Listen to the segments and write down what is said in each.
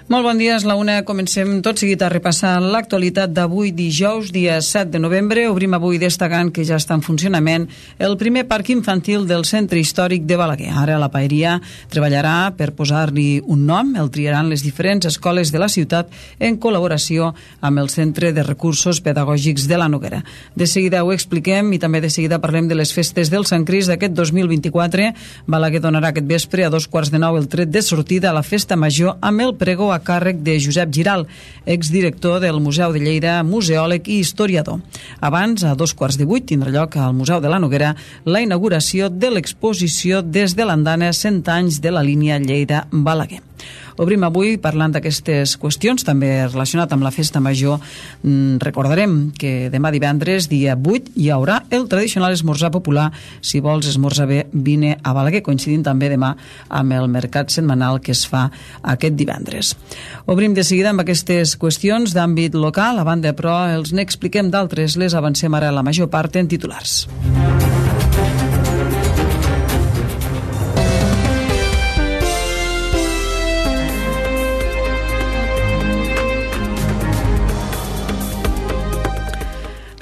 Molt bon dia, és la una. Comencem tot seguit a repassar l'actualitat d'avui dijous, dia 7 de novembre. Obrim avui destacant que ja està en funcionament el primer parc infantil del centre històric de Balaguer. Ara la paeria treballarà per posar-li un nom. El triaran les diferents escoles de la ciutat en col·laboració amb el Centre de Recursos Pedagògics de la Noguera. De seguida ho expliquem i també de seguida parlem de les festes del Sant Crist d'aquest 2024. Balaguer donarà aquest vespre a 2:15 el tret de sortida a la festa major amb el pregó a càrrec de Josep Giral, exdirector del Museu de Lleida, museòleg i historiador. Abans, a 7:15, tindrà lloc al Museu de la Noguera la inauguració de l'exposició Des de l'Andana 100 anys de la línia Lleida-Balaguer. Obrim avui parlant d'aquestes qüestions, també relacionat amb la festa major. Recordarem que demà divendres, dia 8, hi haurà el tradicional esmorzar popular. Si vols esmorzar bé, vine a Balaguer, coincidint també demà amb el mercat setmanal que es fa aquest divendres. Obrim de seguida amb aquestes qüestions d'àmbit local, a banda, però els n'expliquem d'altres, les avancem ara la major part en titulars.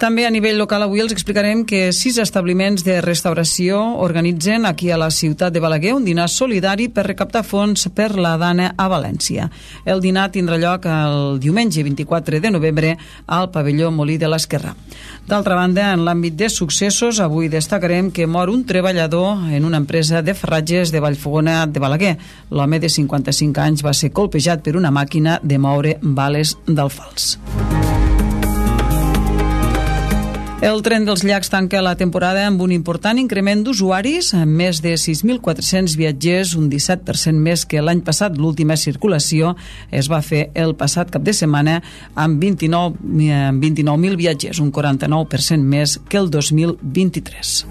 També a nivell local avui els explicarem que 6 establiments de restauració organitzen aquí a la ciutat de Balaguer un dinar solidari per recaptar fons per la Dana a València. El dinar tindrà lloc el diumenge 24 de novembre al pavelló Molí de l'Esquerrà. D'altra banda, en l'àmbit de successos, avui destacarem que mor un treballador en una empresa de ferratges de Vallfogona de Balaguer. L'home de 55 anys va ser colpejat per una màquina de moure bales d'alfals. El tren dels llacs tanca la temporada amb un important increment d'usuaris, amb més de 6.400 viatgers, un 17% més que l'any passat. L'última circulació es va fer el passat cap de setmana amb 29.000 viatgers, un 49% més que el 2023.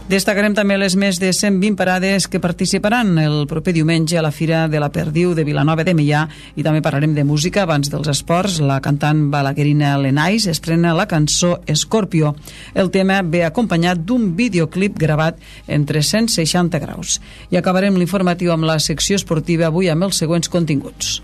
Destacarem també les més de 120 parades que participaran el proper diumenge a la Fira de la Perdiu de Vilanova de Meià, i també parlarem de música. Abans dels esports, la cantant balaguerina Lenais estrena la cançó Escorpió. El tema ve acompanyat d'un videoclip gravat en 360 graus. I acabarem l'informatiu amb la secció esportiva avui amb els següents continguts.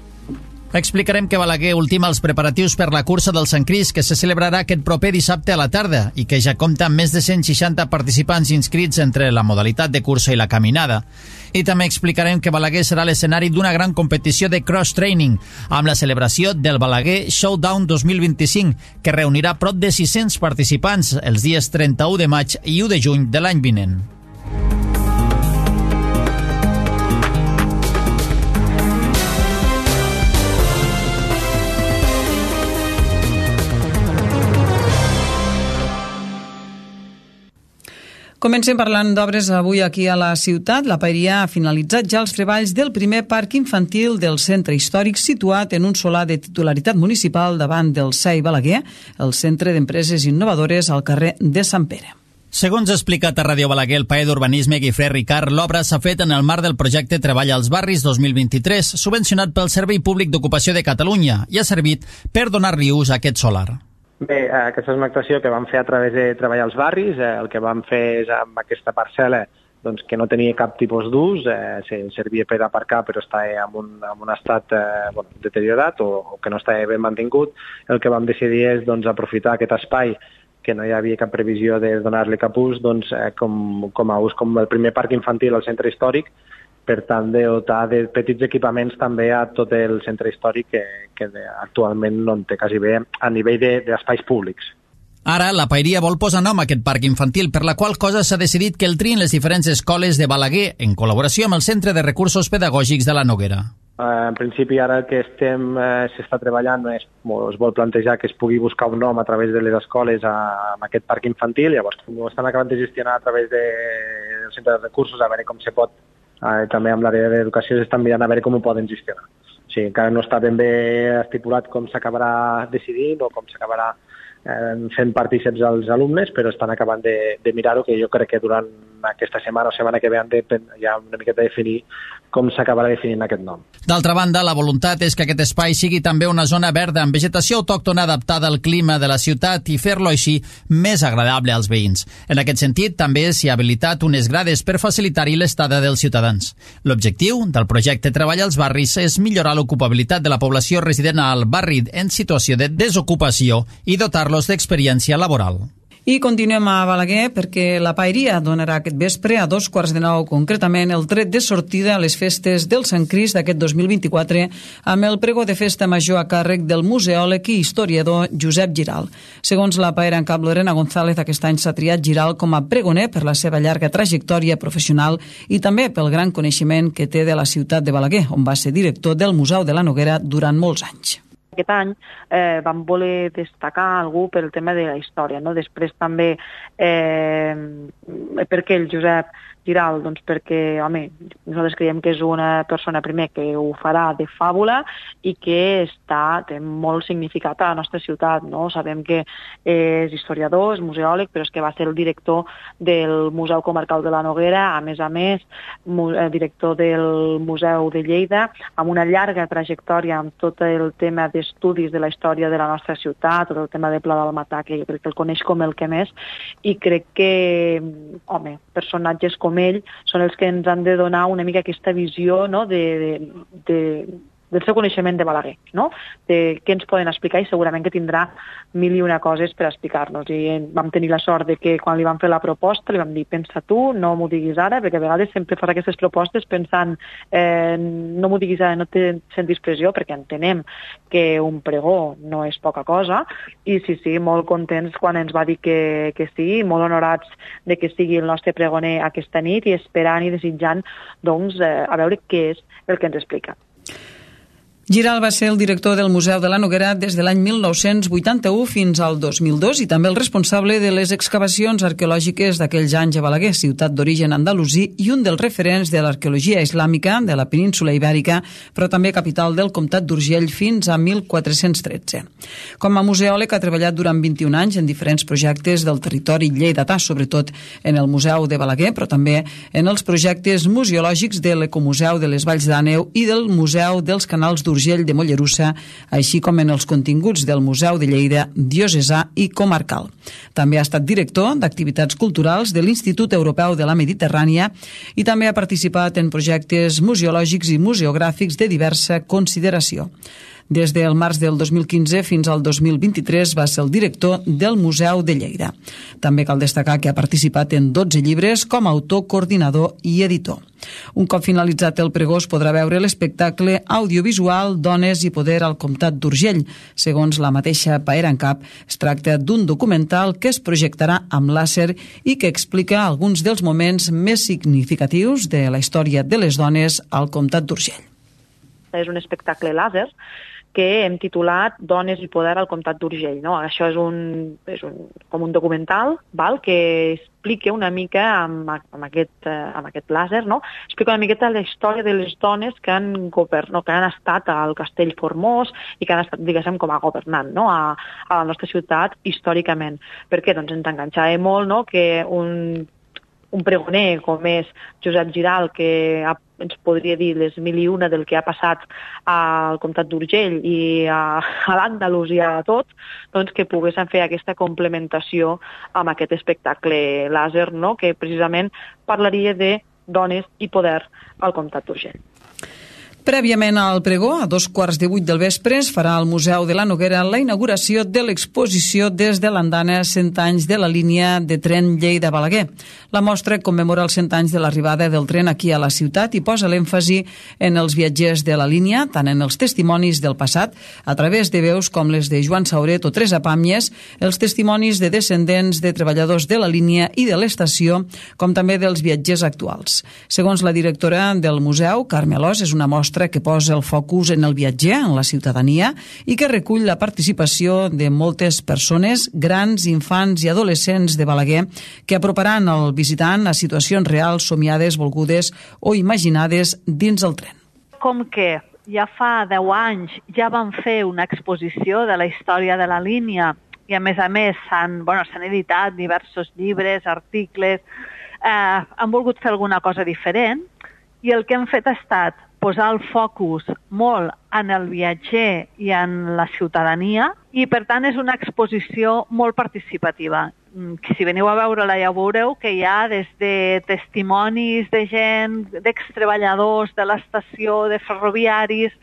Explicarem que Balaguer ultima els preparatius per la cursa del Sant Crist, que se celebrarà aquest proper dissabte a la tarda i que ja compta amb més de 160 participants inscrits entre la modalitat de cursa i la caminada. I també explicarem que Balaguer serà l'escenari d'una gran competició de cross-training amb la celebració del Balaguer Showdown 2025, que reunirà prop de 600 participants els dies 31 de maig i 1 de juny de l'any vinent. Comencem parlant d'obres avui aquí a la ciutat. La paeria ha finalitzat ja els treballs del primer parc infantil del centre històric, situat en un solar de titularitat municipal davant del CEI Balaguer, el Centre d'Empreses Innovadores al carrer de Sant Pere. Segons ha explicat a Ràdio Balaguer el paer d'Urbanisme Guifré Ricard, l'obra s'ha fet en el marc del projecte Treball als Barris 2023, subvencionat pel Servei Públic d'Ocupació de Catalunya, i ha servit per donar-li ús a aquest solar. Bé, aquesta és una actuació que vam fer a través de Treballar als Barris. El que vam fer és amb aquesta parcel·la doncs, que no tenia cap tipus d'ús, servia per aparcar però estava en un estat deteriorat o que no estava ben mantingut. El que vam decidir és aprofitar aquest espai que no hi havia cap previsió de donar-li cap ús com a ús com el primer parc infantil al centre històric, per tant de dotar de petits equipaments també a tot el centre històric que actualment no en té quasi bé a nivell d'espais públics. Ara, la paeria vol posar nom a aquest parc infantil, per la qual cosa s'ha decidit que el triïn les diferents escoles de Balaguer, en col·laboració amb el Centre de Recursos Pedagògics de la Noguera. En principi, ara el que s'està treballant es vol plantejar que es pugui buscar un nom a través de les escoles amb aquest parc infantil. Llavors, ho estan acabant de gestionar a través del Centre de Recursos, a veure com se pot. També amb l'àrea d'educació s'estan mirant a veure com ho poden gestionar. O sigui, encara no està ben bé estipulat com s'acabarà decidint o com s'acabarà fent partíceps als alumnes, però estan acabant de mirar-ho, que jo crec que durant aquesta setmana o setmana que ve han de ja una miqueta definir com s'acabarà definint aquest nom. D'altra banda, la voluntat és que aquest espai sigui també una zona verda amb vegetació autòctona adaptada al clima de la ciutat i fer-lo així més agradable als veïns. En aquest sentit, també s'hi ha habilitat unes grades per facilitar-hi l'estada dels ciutadans. L'objectiu del projecte Treball als barris és millorar l'ocupabilitat de la població resident al barri en situació de desocupació i dotar-los d'experiència laboral. I continuem a Balaguer perquè la Paeria donarà aquest vespre a 9:15 concretament el tret de sortida a les festes del Sant Crist d'aquest 2024 amb el pregó de festa major a càrrec del museòleg i historiador Josep Giral. Segons la Paera en cap Lorena González, aquest any s'ha triat Giral com a pregoner per la seva llarga trajectòria professional i també pel gran coneixement que té de la ciutat de Balaguer, on va ser director del Museu de la Noguera durant molts anys. Aquest any vam voler destacar algú pel tema de la història, no? Després també perquè el Josep Giral, doncs perquè, home, nosaltres creiem que és una persona, primer, que ho farà de fàbula i que té molt significat a la nostra ciutat, no? Sabem que és historiador, és museòleg, però és que va ser el director del Museu Comarcal de la Noguera, a més, director del Museu de Lleida, amb una llarga trajectòria amb tot el tema d'estudis de la història de la nostra ciutat, tot el tema de Pla del Matà, que jo crec que el coneix com el que més, i crec que, home, personatges com ell són els que ens han de donar una mica aquesta visió, no?, del seu coneixement de Balaguer, no?, de què ens poden explicar, i segurament que tindrà mil i una coses per explicar-nos. I vam tenir la sort de que quan li vam fer la proposta li vam dir, pensa tu, no m'ho diguis ara, perquè a vegades sempre fas aquestes propostes pensant no m'ho diguis ara, no te sentis pressió, perquè entenem que un pregó no és poca cosa, i sí, molt contents quan ens va dir que sí, molt honorats de que sigui el nostre pregoner aquesta nit i esperant i desitjant, doncs, a veure què és el que ens explica. Giral va ser el director del Museu de la Noguera des de l'any 1981 fins al 2002 i també el responsable de les excavacions arqueològiques d'aquells anys a Balaguer, ciutat d'origen andalusí i un dels referents de l'arqueologia islàmica de la península ibèrica, però també capital del comtat d'Urgell fins a 1413. Com a museòleg ha treballat durant 21 anys en diferents projectes del territori lleidatà, sobretot en el Museu de Balaguer, però també en els projectes museològics de l'Ecomuseu de les Valls d'Àneu i del Museu dels Canals d'Urgell de Mollerussa, així com en els continguts del Museu de Lleida, diocesà i comarcal. També ha estat director d'activitats culturals de l'Institut Europeu de la Mediterrània i també ha participat en projectes museològics i museogràfics de diversa consideració. Des del març del 2015 fins al 2023 va ser el director del Museu de Lleida. També cal destacar que ha participat en 12 llibres com a autor, coordinador i editor. Un cop finalitzat el pregó es podrà veure l'espectacle audiovisual Dones i poder al comtat d'Urgell. Segons la mateixa Paera en cap, es tracta d'un documental que es projectarà amb làser i que explica alguns dels moments més significatius de la història de les dones al comtat d'Urgell. És un espectacle làser que hem titulat Dones i poder al comtat d'Urgell, no? Això és com un documental, val? Que explica una mica amb aquest làser, no? Explica una miqueta la història de les dones que han estat al Castell Formós i que han estat, diguéssim, com a governant, no? a la nostra ciutat històricament. Per què? Doncs ens enganxava molt, no?, que un pregoner com és Josep Giral, que ens podria dir les mil i una del que ha passat al comtat d'Urgell i a l'Andalusia a tot, doncs que poguessin fer aquesta complementació amb aquest espectacle làser, no?, que precisament parlaria de dones i poder al comtat d'Urgell. Prèviament al pregó, a 7:15 del vespre, es farà al Museu de la Noguera la inauguració de l'exposició des de l'andana 100 anys de la línia de tren Lleida-Balaguer. La mostra commemora els 100 anys de l'arribada del tren aquí a la ciutat i posa l'èmfasi en els viatgers de la línia, tant en els testimonis del passat, a través de veus com les de Joan Sauret o Teresa Pàmies, els testimonis de descendents de treballadors de la línia i de l'estació, com també dels viatgers actuals. Segons la directora del museu, Carme Alòs, és una mostra que posa el focus en el viatger, en la ciutadania, i que recull la participació de moltes persones, grans, infants i adolescents de Balaguer, que aproparan el visitant a situacions reals, somiades, volgudes o imaginades dins el tren. Com que ja fa 10 anys ja van fer una exposició de la història de la línia i a més s'han editat diversos llibres, articles, han volgut fer alguna cosa diferent I el que hem fet ha estat posar el focus molt en el viatger i en la ciutadania i, per tant, és una exposició molt participativa. Si veniu a veure-la ja veureu que hi ha des de testimonis de gent, d'extreballadors de l'estació, de ferroviaris,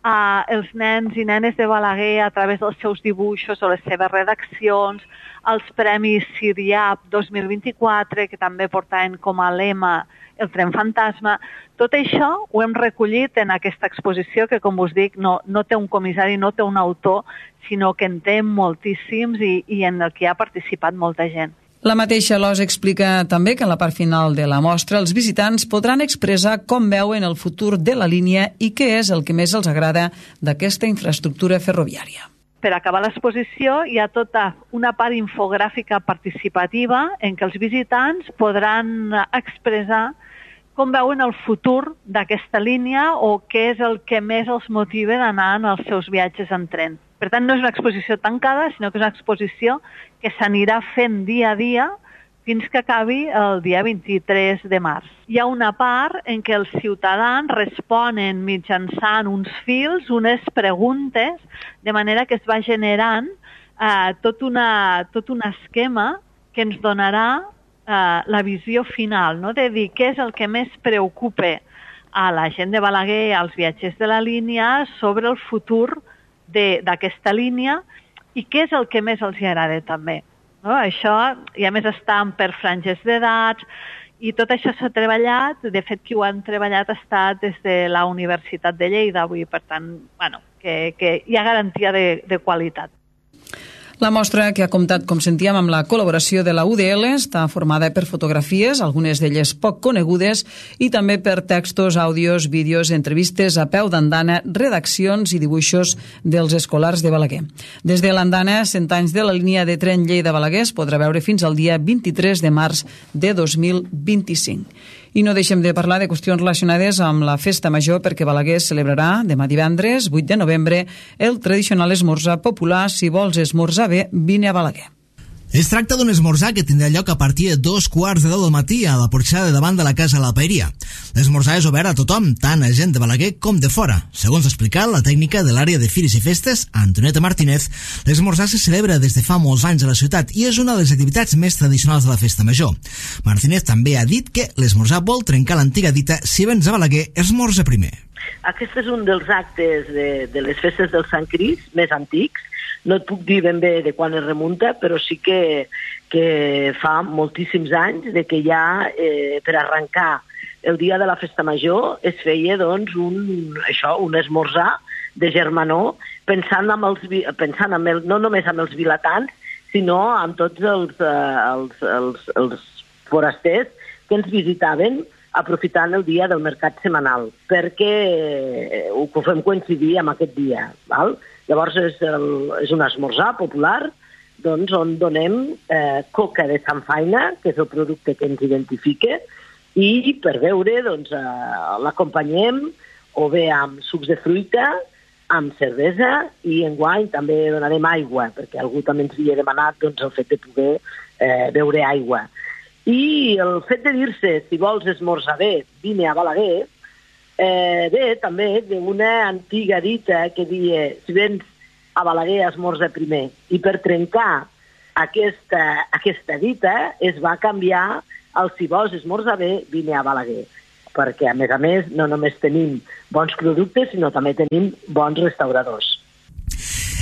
els nens i nenes de Balaguer a través dels seus dibuixos o les seves redaccions, els Premis CIRIAP 2024, que també portaven com a lema el tren fantasma. Tot això ho hem recollit en aquesta exposició que, com us dic, no té un comissari, no té un autor, sinó que en té moltíssims i en el que ha participat molta gent. La mateixa LOS explica també que en la part final de la mostra els visitants podran expressar com veuen el futur de la línia i què és el que més els agrada d'aquesta infraestructura ferroviària. Per acabar l'exposició hi ha tota una part infogràfica participativa en què els visitants podran expressar com veuen el futur d'aquesta línia o què és el que més els motiva d'anar en els seus viatges en tren. Per tant, no és una exposició tancada, sinó que és una exposició que s'anirà fent dia a dia fins que acabi el dia 23 de març. Hi ha una part en què els ciutadans responen mitjançant uns fils, unes preguntes, de manera que es va generant tot un esquema que ens donarà la visió final, no? De dir què és el que més preocupa a la gent de Balaguer, als viatgers de la línia, sobre el futur d'aquesta línia i què és el que més els agrada també. No? Això, i a més estan per franges d'edats, i tot això s'ha treballat, de fet qui ho han treballat ha estat des de la Universitat de Lleida, per tant, que hi ha garantia de qualitat. La mostra, que ha comptat, com sentíem, amb la col·laboració de la UDL, està formada per fotografies, algunes d'elles poc conegudes, i també per textos, àudios, vídeos, entrevistes a peu d'andana, redaccions i dibuixos dels escolars de Balaguer. Des de l'andana, 100 anys de la línia de tren Lleida-Balaguer es podrà veure fins al dia 23 de març de 2025. I no deixem de parlar de qüestions relacionades amb la Festa Major, perquè Balaguer celebrarà demà divendres, 8 de novembre, el tradicional esmorzar popular. Si vols esmorzar bé, vine a Balaguer. Es tracta d'un esmorzar que tindrà lloc a partir de 2:15 del matí a la porxada de davant de la Casa de la Paeria. L'esmorzar és obert a tothom, tant a gent de Balaguer com de fora. Segons ha explicat la tècnica de l'àrea de Fires i Festes, Antonieta Martínez, l'esmorzar se celebra des de fa molts anys a la ciutat i és una de les activitats més tradicionals de la Festa Major. Martínez també ha dit que l'esmorzar vol trencar l'antiga dita "si vens a Balaguer, esmorza primer". Aquest és un dels actes de les festes del Sant Crist més antics. No et puc dir ben bé de quan es remunta, però sí que fa moltíssims anys de que ja per arrencar el dia de la Festa Major es feia doncs, un esmorzar de germanor pensant no només amb els vilatans, sinó amb tots els forasters que ens visitaven aprofitant el dia del mercat setmanal, perquè ho fem coincidir amb aquest dia, val? Llavors és un esmorzar popular doncs, on donem coca de samfaina, que és el producte que ens identifica, i per beure doncs, l'acompanyem o bé amb sucs de fruita, amb cervesa, i enguany també donarem aigua, perquè algú també ens havia demanat doncs, el fet de poder beure aigua. I el fet de dir-se, si vols esmorzar bé, vine a Balaguer, ve també d'una antiga dita que deia si vens a Balaguer esmorza primer, i per trencar aquesta dita es va canviar el si vols esmorzar bé, vine a Balaguer, perquè a més no només tenim bons productes sinó també tenim bons restauradors.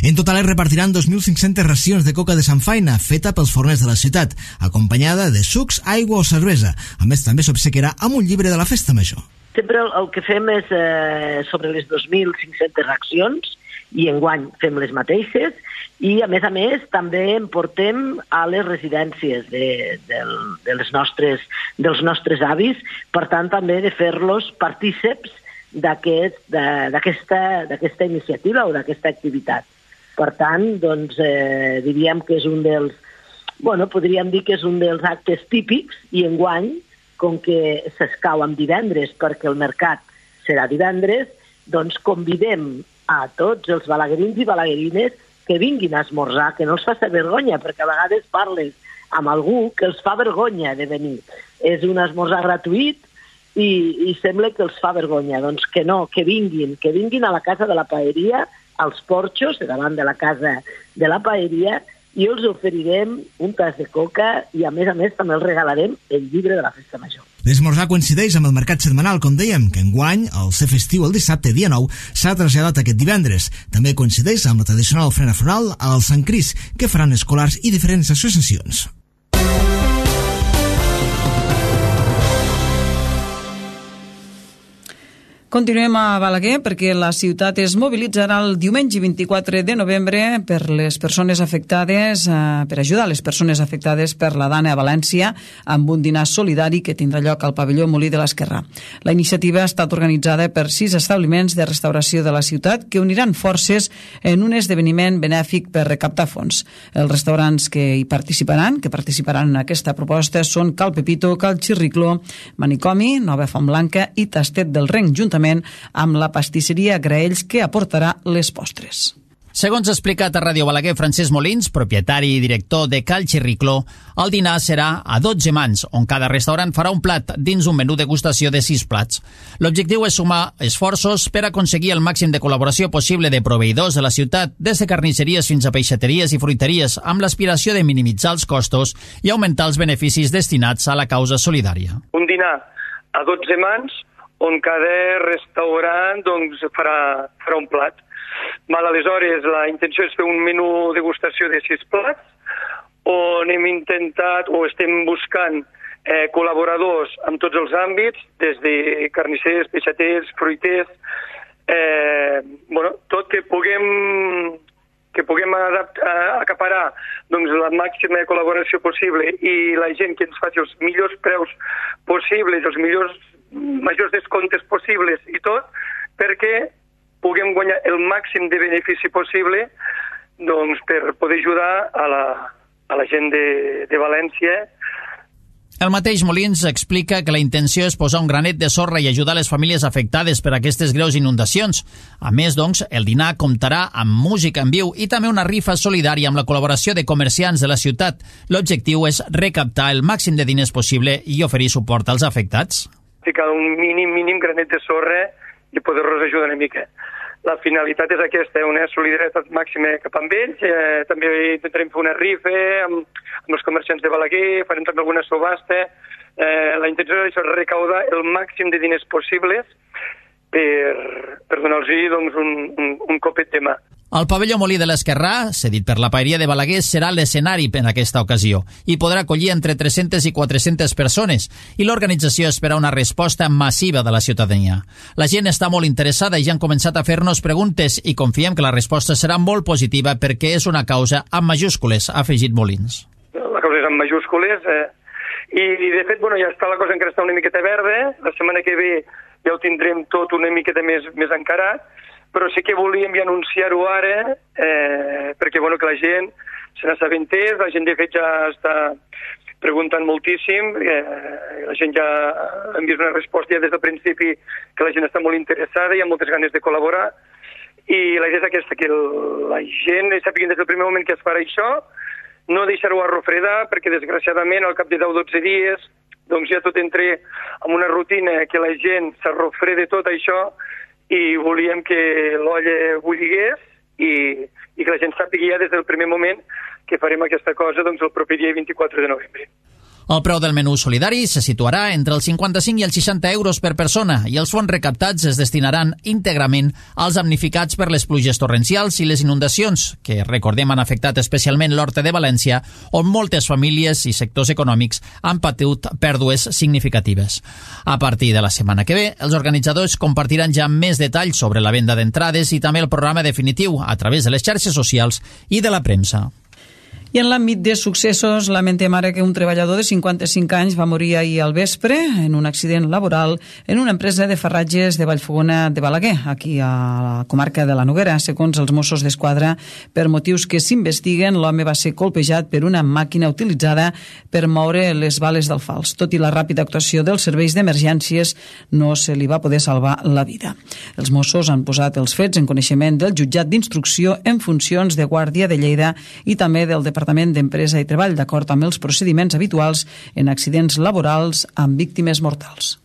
En total es repartiran 2.500 racions de coca de samfaina feta pels forners de la ciutat, acompanyada de sucs, aigua o cervesa. A més, també s'obsequiarà amb un llibre de la Festa Major. Sempre el que fem és sobre les 2.500 racions, i enguany fem les mateixes, i a més també en portem a les residències dels nostres avis, per tant també de fer-los partíceps d'aquesta iniciativa o d'aquesta activitat. Per tant, doncs, diríem que és podríem dir que és un dels actes típics, i enguany, com que s'escau amb divendres perquè el mercat serà divendres, doncs convidem a tots els balaguerins i balaguerines que vinguin a esmorzar, que no els faci vergonya, perquè a vegades parles amb algú que els fa vergonya de venir. És un esmorzar gratuït i sembla que els fa vergonya. Doncs que no, que vinguin a la casa de la paeria, als porxos, davant de la casa de la paeria, i els oferirem un tas de coca i, a més, també els regalarem el llibre de la festa major. L'esmorzar coincideix amb el mercat setmanal, com dèiem, que enguany, al ser festiu el dissabte, dia 9, s'ha traslladat aquest divendres. També coincideix amb la tradicional ofrena floral al Sant Cris, que faran escolars i diferents associacions. Continuem a Balaguer perquè la ciutat es mobilitzarà el diumenge 24 de novembre per les persones afectades, per ajudar les persones afectades per la Dana a València amb un dinar solidari que tindrà lloc al pavelló Molí de l'Esquerrà. La iniciativa ha estat organitzada per 6 establiments de restauració de la ciutat que uniran forces en un esdeveniment benèfic per recaptar fons. Els restaurants que participaran en aquesta proposta són Cal Pepito, Cal Xirricló, Manicomi, Nova Font Blanca i Tastet del Renc, juntament amb la pastisseria Graells, que aportarà les postres. Segons ha explicat a Ràdio Balaguer Francesc Molins, propietari i director de Cal Xirricló, el dinar serà a 12 mans, on cada restaurant farà un plat dins un menú degustació de 6 plats. L'objectiu és sumar esforços per aconseguir el màxim de col·laboració possible de proveïdors de la ciutat, des de carnisseries fins a peixateries i fruiteries, amb l'aspiració de minimitzar els costos i augmentar els beneficis destinats a la causa solidària. Un dinar a 12 mans, on cada restaurant farà un plat. Aleshores, la intenció és fer un menú degustació de 6 plats, on hem intentat o estem buscant col·laboradors en tots els àmbits, des de carnissers, peixaters, fruiters, tot que puguem acaparar la màxima col·laboració possible i la gent que ens faci els millors preus possibles, els majors descomptes possibles i tot, perquè puguem guanyar el màxim de benefici possible per poder ajudar a la gent de València. El mateix Molins explica que la intenció és posar un granet de sorra i ajudar les famílies afectades per aquestes greus inundacions. A més, el dinar comptarà amb música en viu i també una rifa solidària amb la col·laboració de comerciants de la ciutat. L'objectiu és recaptar el màxim de diners possible i oferir suport als afectats. Ficar un mínim granet de sorra i poder-los ajudar una mica. La finalitat és aquesta, una solidaritat màxima cap amb ells. També intentarem fer una rifa amb els comerciants de Balaguer, farem també alguna subhasta. La intenció és recaudar el màxim de diners possibles per donar-los un copet de mà. El pavelló Molí de l'Esquerrà, cedit per la paeria de Balaguer, serà l'escenari en aquesta ocasió i podrà acollir entre 300 i 400 persones, i l'organització espera una resposta massiva de la ciutadania. La gent està molt interessada i ja han començat a fer-nos preguntes i confiem que la resposta serà molt positiva perquè és una causa amb majúscules, ha afegit Molins. La causa és amb majúscules i de fet ja està la cosa encara està una miqueta verda. La setmana que ve ja ho tindrem tot una miqueta més encarat, però sí que volíem ja anunciar-ho ara perquè que la gent se n'assabentés, la gent de fet ja està preguntant moltíssim, la gent ja hem vist una resposta ja des del principi que la gent està molt interessada i ha moltes ganes de col·laborar, i la idea és aquesta, que la gent sàpiguen des del primer moment que es farà això, no deixar-ho a refredar, perquè desgraciadament al cap de 10 o 12 dies ja tot entra en una rutina que la gent s'arrofreda tot això, i volíem que l'olla bulligués i que la gent sàpiga ja des del primer moment que farem aquesta cosa el proper dia 24 de novembre. El preu del menú solidari se situarà entre els 55 i els 60 euros per persona i els fons recaptats es destinaran íntegrament als damnificats per les pluges torrencials i les inundacions, que, recordem, han afectat especialment l'Horta de València, on moltes famílies i sectors econòmics han patit pèrdues significatives. A partir de la setmana que ve, els organitzadors compartiran ja més detalls sobre la venda d'entrades i també el programa definitiu a través de les xarxes socials i de la premsa. I en l'àmbit de successos, lamentem ara que un treballador de 55 anys va morir ahir al vespre en un accident laboral en una empresa de farratges de Vallfogona de Balaguer, aquí a la comarca de la Noguera. Segons els Mossos d'Esquadra, per motius que s'investiguen, l'home va ser colpejat per una màquina utilitzada per moure les bales del fals. Tot i la ràpida actuació dels serveis d'emergències, no se li va poder salvar la vida. Els Mossos han posat els fets en coneixement del jutjat d'instrucció en funcions de Guàrdia de Lleida i també del Departament d'Empresa i Treball, d'acord amb els procediments habituals en accidents laborals amb víctimes mortals.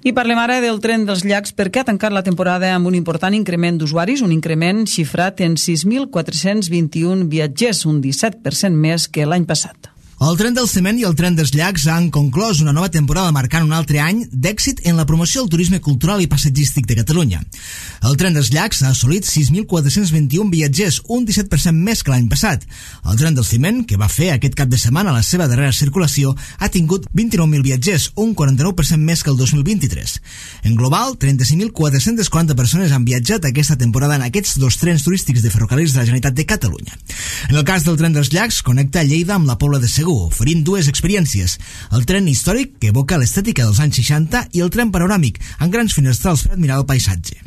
I parlem ara del tren dels llacs perquè ha tancat la temporada amb un important increment d'usuaris, un increment xifrat en 6.421 viatgers, un 17% més que l'any passat. El tren del ciment i el tren dels llacs han conclòs una nova temporada marcant un altre any d'èxit en la promoció del turisme cultural i passatgístic de Catalunya. El tren dels llacs ha assolit 6.421 viatgers, un 17% més que l'any passat. El tren del ciment, que va fer aquest cap de setmana la seva darrera circulació, ha tingut 29.000 viatgers, un 49% més que el 2023. En global, 35.440 persones han viatjat aquesta temporada en aquests dos trens turístics de ferrocarrils de la Generalitat de Catalunya. En el cas del tren dels llacs, connecta Lleida amb la Pobla de Segur, oferint dues experiències: el tren històric, que evoca l'estètica dels anys 60, i el tren panoràmic, amb grans finestrals per admirar el paisatge.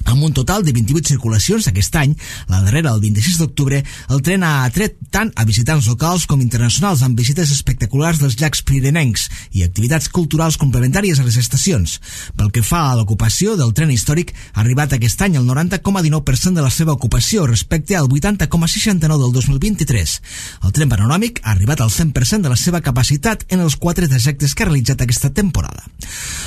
Amb un total de 28 circulacions aquest any, la darrera el 26 d'octubre, el tren ha atret tant a visitants locals com internacionals amb visites espectaculars dels llacs pirinencs i activitats culturals complementàries a les estacions. Pel que fa a l'ocupació del tren històric, ha arribat aquest any el 90,19% de la seva ocupació respecte al 80,69% del 2023. El tren panoràmic ha arribat al 100% de la seva capacitat en els 4 trajectes que ha realitzat aquesta temporada.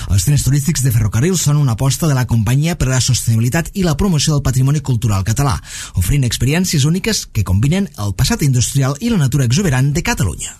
Els trens turístics de ferrocarril són una aposta de la companyia per a la sostenibilitat i la promoció del patrimoni cultural català, oferint experiències úniques que combinen el passat industrial i la natura exuberant de Catalunya.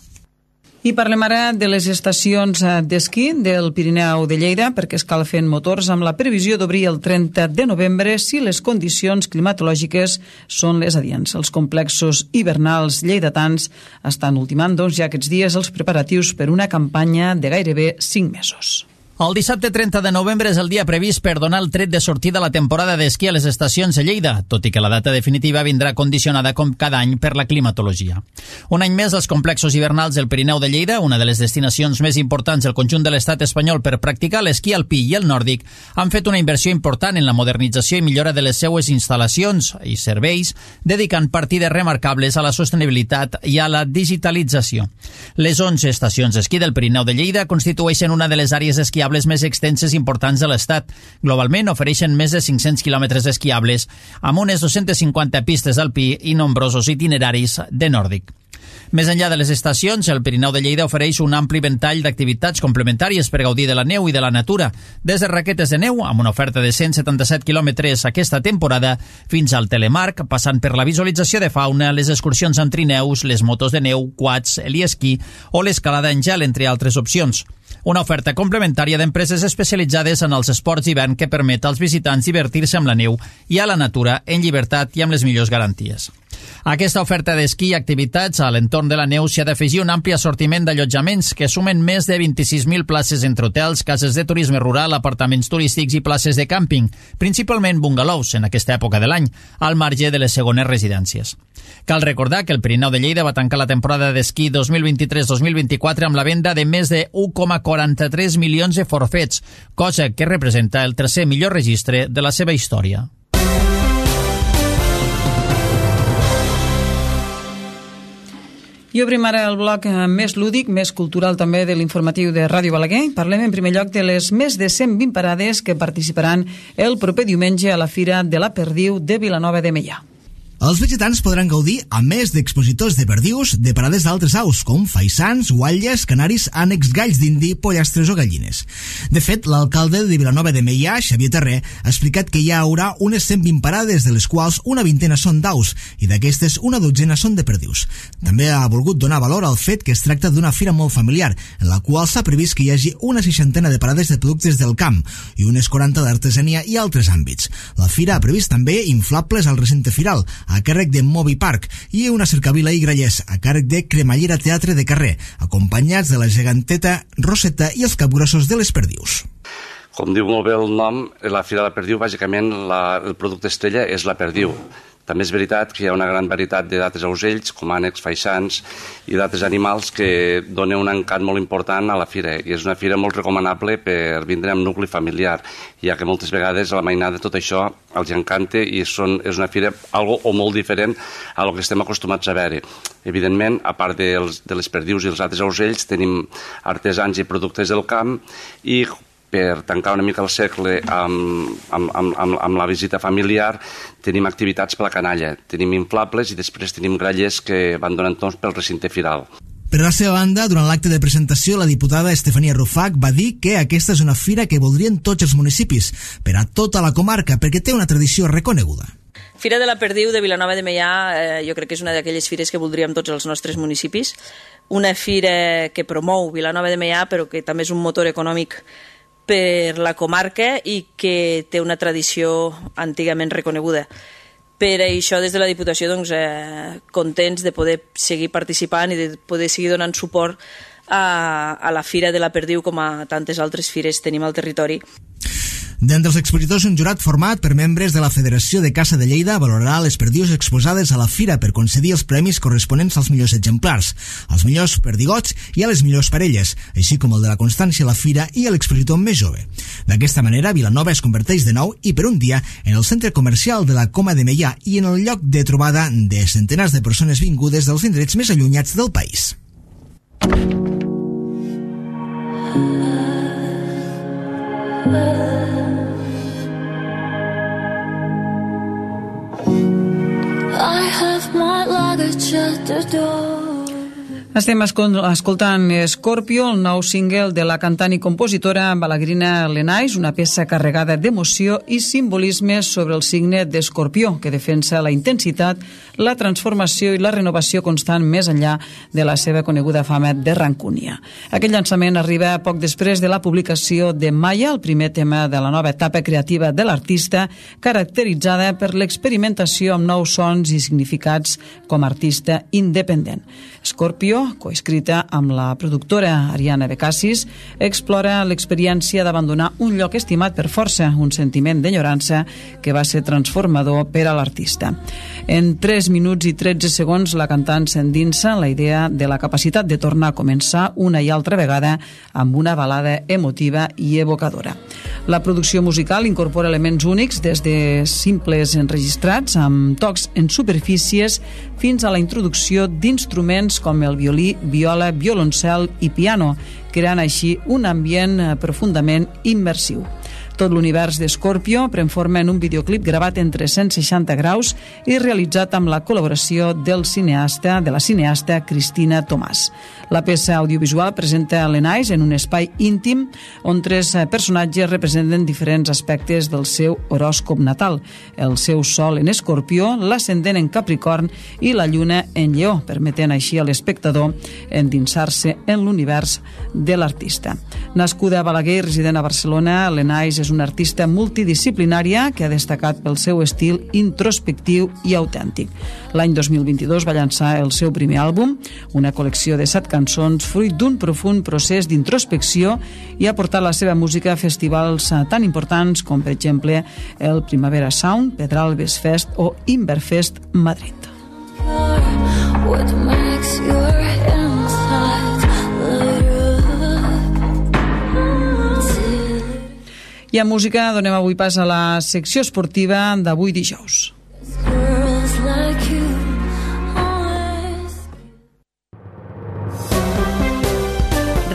I parlem ara de les estacions d'esquí del Pirineu de Lleida, perquè escalfen motors amb la previsió d'obrir el 30 de novembre si les condicions climatològiques són les adients. Els complexos hivernals lleidatans estan ultimant ja aquests dies els preparatius per una campanya de gairebé 5 mesos. El dissabte 30 de novembre és el dia previst per donar el tret de sortida a la temporada d'esquí a les estacions de Lleida, tot i que la data definitiva vindrà condicionada com cada any per la climatologia. Un any més, els complexos hivernals del Pirineu de Lleida, una de les destinacions més importants del conjunt de l'estat espanyol per practicar l'esquí alpí i el nòrdic, han fet una inversió important en la modernització i millora de les seues instal·lacions i serveis, dedicant partides remarcables a la sostenibilitat i a la digitalització. Les 11 estacions d'esquí del Pirineu de Lleida constitueixen una de les àrees esquiables més extenses i importants de l'Estat. Globalment ofereixen més de 500 quilòmetres esquiables, amb unes 250 pistes d'alpí i nombrosos itineraris de nòrdic. Més enllà de les estacions, el Pirineu de Lleida ofereix un ampli ventall d'activitats complementàries per gaudir de la neu i de la natura, des de raquetes de neu, amb una oferta de 177 quilòmetres aquesta temporada, fins al telemarc, passant per la visualització de fauna, les excursions amb trineus, les motos de neu, quads, l'esquí o l'escalada en gel, entre altres opcions. Una oferta complementària d'empreses especialitzades en els esports d'hivern que permet als visitants divertir-se amb la neu i a la natura en llibertat i amb les millors garanties. A aquesta oferta d'esquí i activitats a l'entorn de la neu s'hi ha d'afegir un ampli assortiment d'allotjaments que sumen més de 26.000 places entre hotels, cases de turisme rural, apartaments turístics i places de càmping, principalment bungalows en aquesta època de l'any, al marge de les segones residències. Cal recordar que el Pirineu de Lleida va tancar la temporada d'esquí 2023-2024 amb la venda de més de 1,43 milions de forfets, cosa que representa el tercer millor registre de la seva història. I obrim ara el bloc més lúdic, més cultural també de l'informatiu de Ràdio Balaguer. Parlem en primer lloc de les més de 120 parades que participaran el proper diumenge a la Fira de la Perdiu de Vilanova de Meià. Els visitants podran gaudir, a més d'expositors de perdius, de parades d'altres aus, com faisans, guatlles, canaris, ànecs, galls d'indi, pollastres o gallines. De fet, l'alcalde de Vilanova de Meià, Xavier Terré, ha explicat que hi haurà unes 120 parades, de les quals una vintena són d'aus, i d'aquestes una dotzena són de perdius. També ha volgut donar valor al fet que es tracta d'una fira molt familiar, en la qual s'ha previst que hi hagi una 60 de parades de productes del camp i unes 40 d'artesania i altres àmbits. La fira ha previst també inflables al recinte firal, a càrrec de Movi Park, i una cercavila i grallers a càrrec de Cremallera Teatre de Carrer, acompanyats de la geganteta Roseta i els capgrossos de les perdius. Com diu molt bé el nom, la Fira de la Perdiu, bàsicament el producte estrella és la perdiu. També és veritat que hi ha una gran varietat de d'altres aucells, com ànecs, faisans i d'altres animals que donen un encant molt important a la fira. I és una fira molt recomanable per vindre amb nucli familiar, ja que moltes vegades a la mainada tot això els encanta i és una fira algo o molt diferent a lo que estem acostumats a veure. Evidentment, a part de les perdius i els altres aucells, tenim artesans i productes del camp i per tancar una mica el segle amb la visita familiar, tenim activitats per la canalla, tenim inflables i després tenim grallers que van donant torns pel recinte firal. Per la seva banda, durant l'acte de presentació, la diputada Estefania Rufac va dir que aquesta és una fira que voldrien tots els municipis, per a tota la comarca, perquè té una tradició reconeguda. Fira de la Perdiu de Vilanova de Meià jo crec que és una d'aquelles fires que voldríem tots els nostres municipis. Una fira que promou Vilanova de Meià, però que també és un motor econòmic per la comarca i que té una tradició antigament reconeguda. Per això, des de la Diputació, contents de poder seguir participant i de poder seguir donant suport a la Fira de la Perdiu com a tantes altres fires tenim al territori. D'entre els expositors, un jurat format per membres de la Federació de Caça de Lleida valorarà les perdius exposades a la fira per concedir els premis corresponents als millors exemplars, als millors perdigots i a les millors parelles, així com el de la constància a la fira i a l'expositor més jove. D'aquesta manera, Vilanova es converteix de nou i per un dia en el centre comercial de la Coma de Meià i en el lloc de trobada de centenars de persones vingudes dels indrets més allunyats del país. I have my luggage at the door. Estem escoltant Scorpio, el nou single de la cantant i compositora balaguerina Lenais, una peça carregada d'emoció i simbolisme sobre el signe d'Escorpió, que defensa la intensitat, la transformació i la renovació constant més enllà de la seva coneguda fama de rancúnia. Aquest llançament arriba poc després de la publicació de Maya, el primer tema de la nova etapa creativa de l'artista, caracteritzada per l'experimentació amb nous sons i significats com a artista independent. Scorpio, coescrita amb la productora Ariana Becassis, explora l'experiència d'abandonar un lloc estimat per força, un sentiment d'enyorança que va ser transformador per a l'artista. En 3 minuts i 13 segons, la cantant s'endinsa en la idea de la capacitat de tornar a començar una i altra vegada amb una balada emotiva i evocadora. La producció musical incorpora elements únics, des de simples enregistrats amb tocs en superfícies fins a la introducció d'instruments com el violí, viola, violoncel i piano, creant així un ambient profundament immersiu. Tot l'univers de Scorpio pren forma en un videoclip gravat en 360 graus i realitzat amb la col·laboració de la cineasta Cristina Tomàs. La peça audiovisual presenta Lenais en un espai íntim on 3 personatges representen diferents aspectes del seu horòscop natal: el seu sol en Escorpió, l'ascendent en Capricorn i la lluna en Lleó, permetent així a l'espectador endinsar-se en l'univers de l'artista. Nascuda a Balaguer i resident a Barcelona, Lenais és una artista multidisciplinària que ha destacat pel seu estil introspectiu i autèntic. L'any 2022 va llançar el seu primer àlbum, una col·lecció de 7 cançons fruit d'un profund procés d'introspecció, i ha portat la seva música a festivals tan importants com, per exemple, el Primavera Sound, Pedralbes Fest o Inverfest Madrid. What makes your insides light up? I a música donem avui pas a la secció esportiva d'avui dijous. Girls like you always.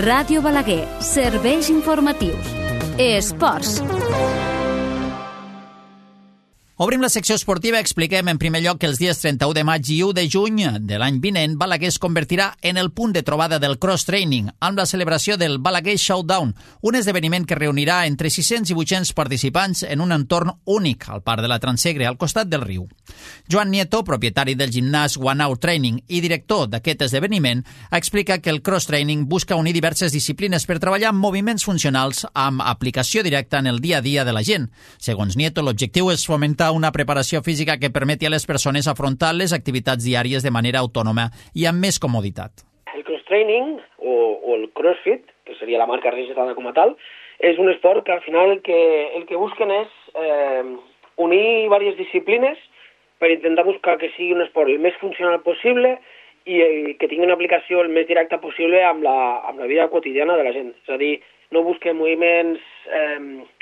Ràdio Balaguer, serveis informatius. Esports. Obrim la secció esportiva. Expliquem en primer lloc que els dies 31 de maig i 1 de juny de l'any vinent, Balaguer es convertirà en el punt de trobada del cross-training amb la celebració del Balaguer Showdown, un esdeveniment que reunirà entre 600 i 800 participants en un entorn únic al Parc de la Transsegre, al costat del riu. Joan Nieto, propietari del gimnàs One Hour Training i director d'aquest esdeveniment, explica que el cross-training busca unir diverses disciplines per treballar amb moviments funcionals amb aplicació directa en el dia a dia de la gent. Segons Nieto, l'objectiu és fomentar una preparació física que permeti a les persones afrontar les activitats diàries de manera autònoma i amb més comoditat. El cross-training o el crossfit, que seria la marca registrada com a tal, és un esport que al final el que busquen és unir diverses disciplines per intentar buscar que sigui un esport el més funcional possible i que tingui una aplicació el més directa possible amb la vida quotidiana de la gent. És a dir, no busquem moviments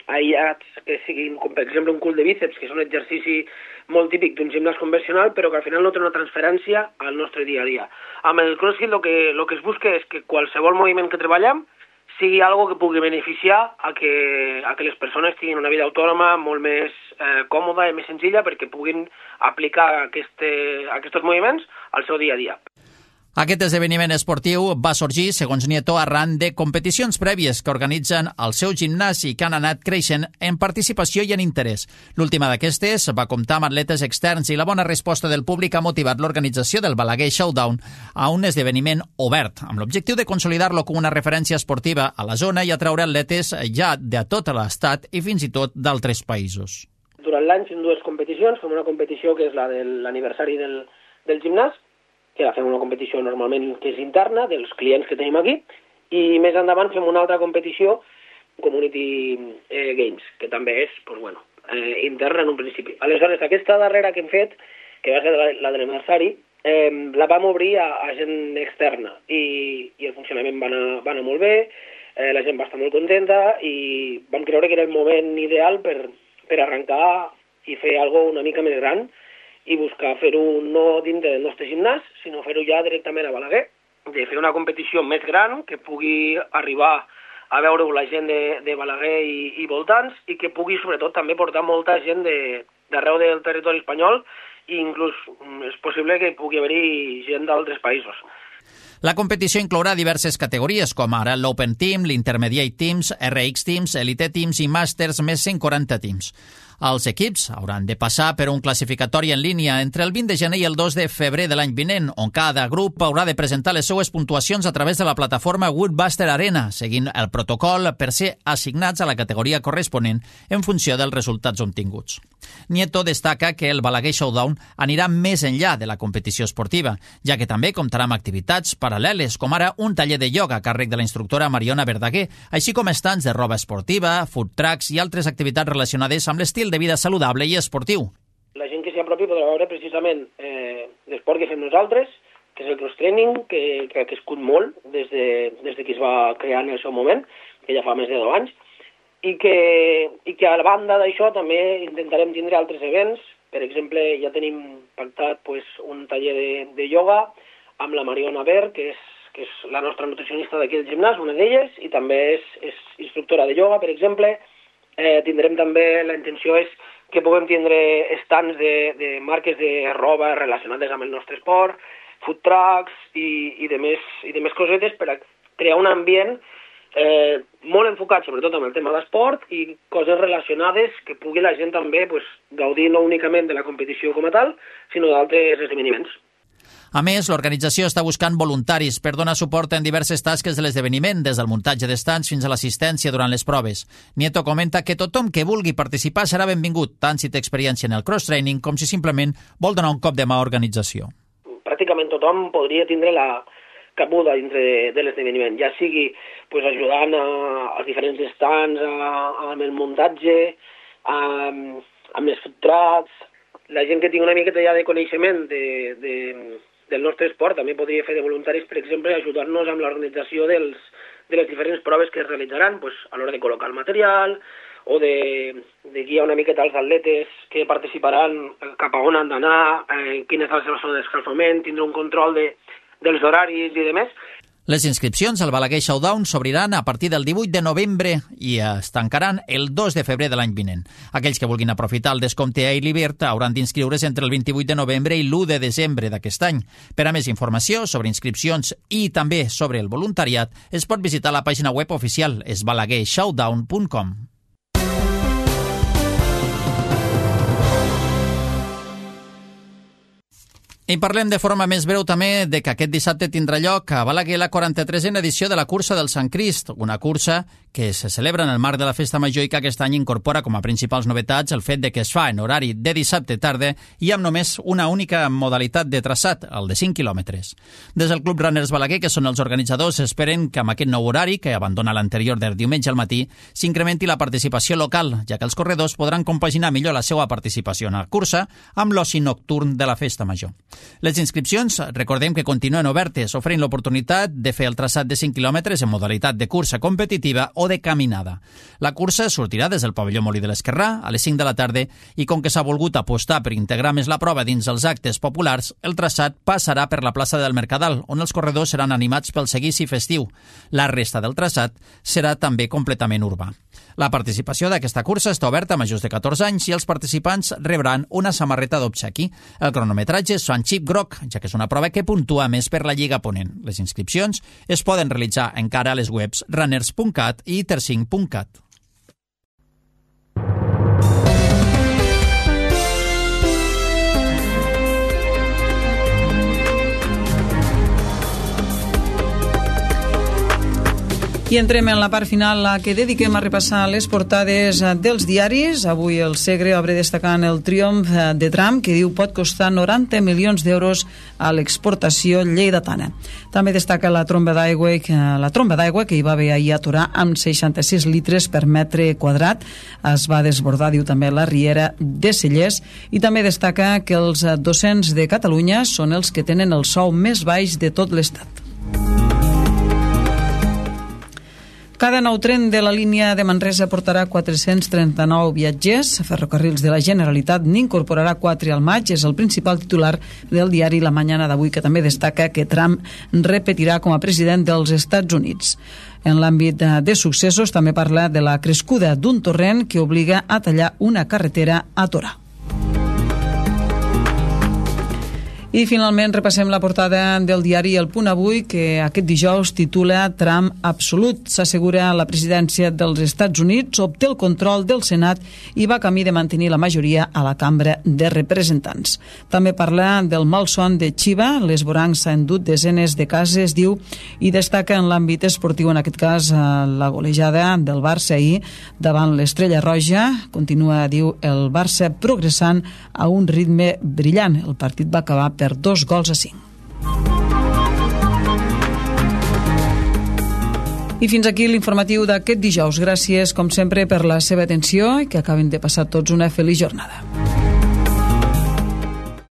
aïllats que siguin, com per exemple un cul de bíceps, que és un exercici molt típic d'un gimnàs convencional, però que al final no té una transferència al nostre dia a dia. Amb el CrossFit el que es busca és que qualsevol moviment que treballem sigui algo que pugui beneficiar a que les persones tinguin una vida autònoma molt més còmoda i més senzilla perquè puguin aplicar aquests moviments al seu dia a dia. Aquest esdeveniment esportiu va sorgir, segons Nieto, arran de competicions prèvies que organitzen al seu gimnàs i que han anat creixent en participació i en interès. L'última d'aquestes va comptar amb atletes externs i la bona resposta del públic ha motivat l'organització del Balaguer Showdown a un esdeveniment obert, amb l'objectiu de consolidar-lo com una referència esportiva a la zona i atraure atletes ja de tot l'estat i fins i tot d'altres països. Durant l'any fem dues competicions. Fem una competició que és la de l'aniversari del gimnàs, que fem una competició normalment que és interna, dels clients que tenim aquí, i més endavant fem una altra competició, Community Games, que també és interna en un principi. Aleshores, aquesta darrera que hem fet, que va ser la de l'aniversari, la vam obrir a gent externa i el funcionament va anar molt bé, la gent va estar molt contenta i vam creure que era el moment ideal per arrencar i fer alguna cosa una mica més gran i buscar fer-ho no dintre del nostre gimnàs, sinó fer-ho ja directament a Balaguer, de fer una competició més gran que pugui arribar a veure la gent de Balaguer i voltants i que pugui sobretot també portar molta gent d'arreu del territori espanyol i inclús és possible que pugui haver-hi gent d'altres països. La competició inclourà diverses categories, com ara l'Open Team, l'Intermediate Teams, RX Teams, Elite Teams i Masters, més 140 teams. Els equips hauran de passar per un classificatori en línia entre el 20 de gener i el 2 de febrer de l'any vinent, on cada grup haurà de presentar les seues puntuacions a través de la plataforma Woodbuster Arena, seguint el protocol per ser assignats a la categoria corresponent en funció dels resultats obtinguts. Nieto destaca que el Balaguer Showdown anirà més enllà de la competició esportiva, ja que també comptarà amb activitats paral·leles, com ara un taller de ioga a càrrec de la instructora Mariona Verdaguer, així com estants de roba esportiva, food trucks i altres activitats relacionades amb l'estil de vida saludable i esportiu. La gent que s'hi apropi podrà veure precisament l'esport que fem nosaltres, que és el cross-training, que ha crescut molt des que es va crear en el seu moment, que ja fa més de 10 anys, i que a la banda d'això també intentarem tindre altres events. Per exemple, ja tenim pactat un taller de ioga amb la Mariona Ver, que és la nostra nutricionista d'aquí del gimnàs, una d'elles, i també és instructora de ioga, per exemple. Tindrem també, la intenció és que puguem tindre estants de marques de roba relacionades amb el nostre esport, food trucks i de més cosetes per a crear un ambient molt enfocat sobretot amb el tema d'esport i coses relacionades que pugui la gent també gaudir no únicament de la competició com a tal, sinó d'altres esdeveniments. A més, l'organització està buscant voluntaris per donar suport en diverses tasques de l'esdeveniment, des del muntatge d'estants fins a l'assistència durant les proves. Nieto comenta que tothom que vulgui participar serà benvingut, tant si té experiència en el cross-training com si simplement vol donar un cop de mà a organització. Pràcticament tothom podria tindre la cabuda dintre de l'esdeveniment, ja sigui ajudant als diferents estants, amb el muntatge, amb les food trucks. La gent que tingui una miqueta ja de coneixement del nostre esport també podria fer de voluntaris, per exemple, ajudar-nos amb l'organització de les diferents proves que es realitzaran a l'hora de col·locar el material o de guiar una miqueta els atletes que participaran cap a on han d'anar, quina és la seva zona d'escalfament, tindre un control dels horaris i demés. Les inscripcions al Balaguer Showdown s'obriran a partir del 18 de novembre i es tancaran el 2 de febrer de l'any vinent. Aquells que vulguin aprofitar el descompte Early Bird hauran d'inscriure's entre el 28 de novembre i l'1 de desembre d'aquest any. Per a més informació sobre inscripcions i també sobre el voluntariat, es pot visitar la pàgina web oficial esbalaguershowdown.com. I parlem de forma més breu també de que aquest dissabte tindrà lloc a Balaguer la 43a edició de la Cursa del Sant Crist, una cursa que se celebra en el marc de la Festa Major i que aquest any incorpora com a principals novetats el fet de que es fa en horari de dissabte tarda i amb només una única modalitat de traçat, el de 5 quilòmetres. Des del Club Runners Balaguer, que són els organitzadors, esperen que amb aquest nou horari, que abandona l'anterior del diumenge al matí, s'incrementi la participació local, ja que els corredors podran compaginar millor la seva participació en la cursa amb l'oci nocturn de la Festa Major. Les inscripcions, recordem que continuen obertes, oferint l'oportunitat de fer el traçat de 5 quilòmetres en modalitat de cursa competitiva o de caminada. La cursa sortirà des del pavelló Molí de l'Esquerrà a les 5 de la tarda i com que s'ha volgut apostar per integrar més la prova dins els actes populars, el traçat passarà per la plaça del Mercadal, on els corredors seran animats pel seguici festiu. La resta del traçat serà també completament urbà. La participació d'aquesta cursa està oberta a majors de 14 anys i els participants rebran una samarreta d'obsequi. El cronometratge són xip groc, ja que és una prova que puntua més per la Lliga Ponent. Les inscripcions es poden realitzar encara a les webs runners.cat i tercinc.cat. I entrem en la part final, la que dediquem a repassar les portades dels diaris. Avui el Segre obre destacant el triomf de Trump, que diu pot costar 90 milions d'euros a l'exportació lleidatana. També destaca la tromba d'aigua que hi va haver ahir a Torà amb 66 litres per metre quadrat. Es va desbordar, diu també, la riera de Cellers, i també destaca que els docents de Catalunya són els que tenen el sou més baix de tot l'Estat. Cada nou tren de la línia de Manresa portarà 439 viatgers. Ferrocarrils de la Generalitat n'incorporarà 4 al maig. És el principal titular del diari La Mañana d'avui, que també destaca que Trump repetirà com a president dels Estats Units. En l'àmbit de successos també parla de la crescuda d'un torrent que obliga a tallar una carretera a Torà. I finalment repassem la portada del diari El Punt Avui, que aquest dijous titula Trump absolut. S'assegura la presidència dels Estats Units, obté el control del Senat i va camí de mantenir la majoria a la Cambra de Representants. També parla del malson de Chiva. L'esvoranc s'ha endut desenes de cases, diu, i destaca en l'àmbit esportiu, en aquest cas, la golejada del Barça ahir davant l'Estrella Roja. Continua, diu, el Barça progressant a un ritme brillant. El partit va acabar per 2-5. I fins aquí l'informatiu d'aquest dijous. Gràcies, com sempre, per la seva atenció i que acaben de passar tots una feliç jornada.